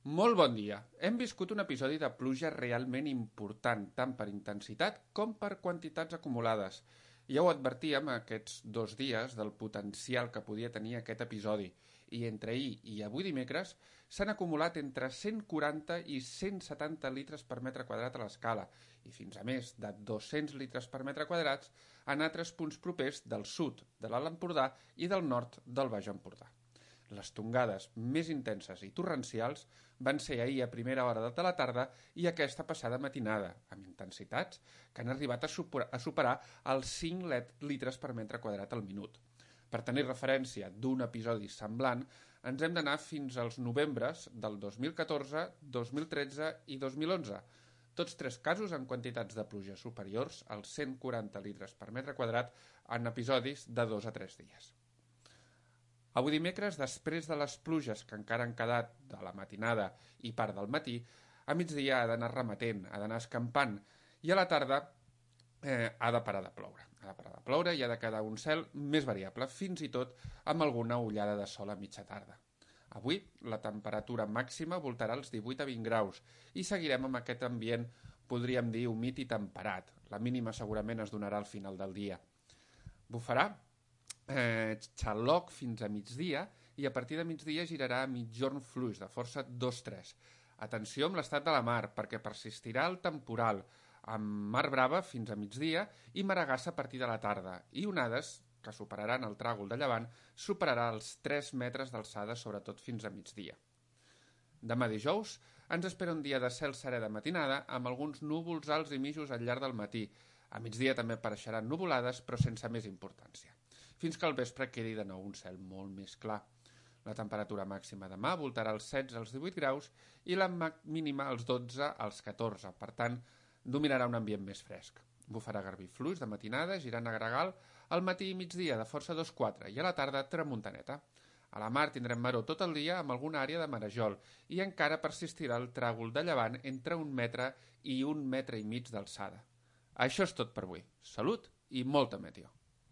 Molt bon dia. Hem viscut un episodi de pluja realment important, tant per intensitat com per quantitats acumulades. Ja ho advertíem aquests 2 dies del potencial que podia tenir aquest episodi, i entre ahir i avui dimecres s'han acumulat entre 140 i 170 litres per metre quadrat a l'escala, i fins a més de 200 litres per metre quadrats en altres punts propers del sud de l'Alt Empordà i del nord del Baix Empordà. Les tongades més intenses i torrencials van ser ahir a primera hora de la tarda i aquesta passada matinada, amb intensitats que han arribat a superar els 5 litres per metre quadrat al minut. Per tenir referència d'un episodi semblant, ens hem d'anar fins als novembres del 2014, 2013 i 2011, tots 3 casos en quantitats de pluja superiors als 140 litres per metre quadrat en episodis de 2 a 3 dies. Avui dimecres, després de les pluges que encara han quedat de la matinada i part del matí, a migdia ha d'anar remetent, ha d'anar escampant, i a la tarda ha de parar de ploure. Ha de parar de ploure i ha de quedar un cel més variable, fins i tot amb alguna ullada de sol a mitja tarda. Avui la temperatura màxima voltarà als 18 a 20 graus i seguirem amb aquest ambient, podríem dir, humit i temperat. La mínima segurament es donarà al final del dia. Bufarà xaloc fins a migdia i a partir de migdia girarà a mitjorn fluix de força 2-3. Atenció amb l'estat de la mar perquè persistirà el temporal amb mar brava fins a migdia i maragassa a partir de la tarda i onades que superaran el tràgol de llevant superarà els 3 metres d'alçada sobretot fins a migdia. Demà dijous ens espera un dia de cel serè de matinada amb alguns núvols alts i mitjos al llarg del matí. A migdia també apareixeran nuvolades però sense més importància, fins que al vespre quedi de nou un cel molt més clar. La temperatura màxima demà voltarà als 16 als 18 graus i la mínima als 12 als 14, per tant, dominarà un ambient més fresc. Bufarà garbí fluix de matinada, girant a gregal, al matí i migdia de força 2-4 i a la tarda tramuntaneta. A la mar tindrem maror tot el dia amb alguna àrea de marejol i encara persistirà el tràgol de llevant entre 1 metre i 1,5 metres d'alçada. Això és tot per avui. Salut i molta meteo.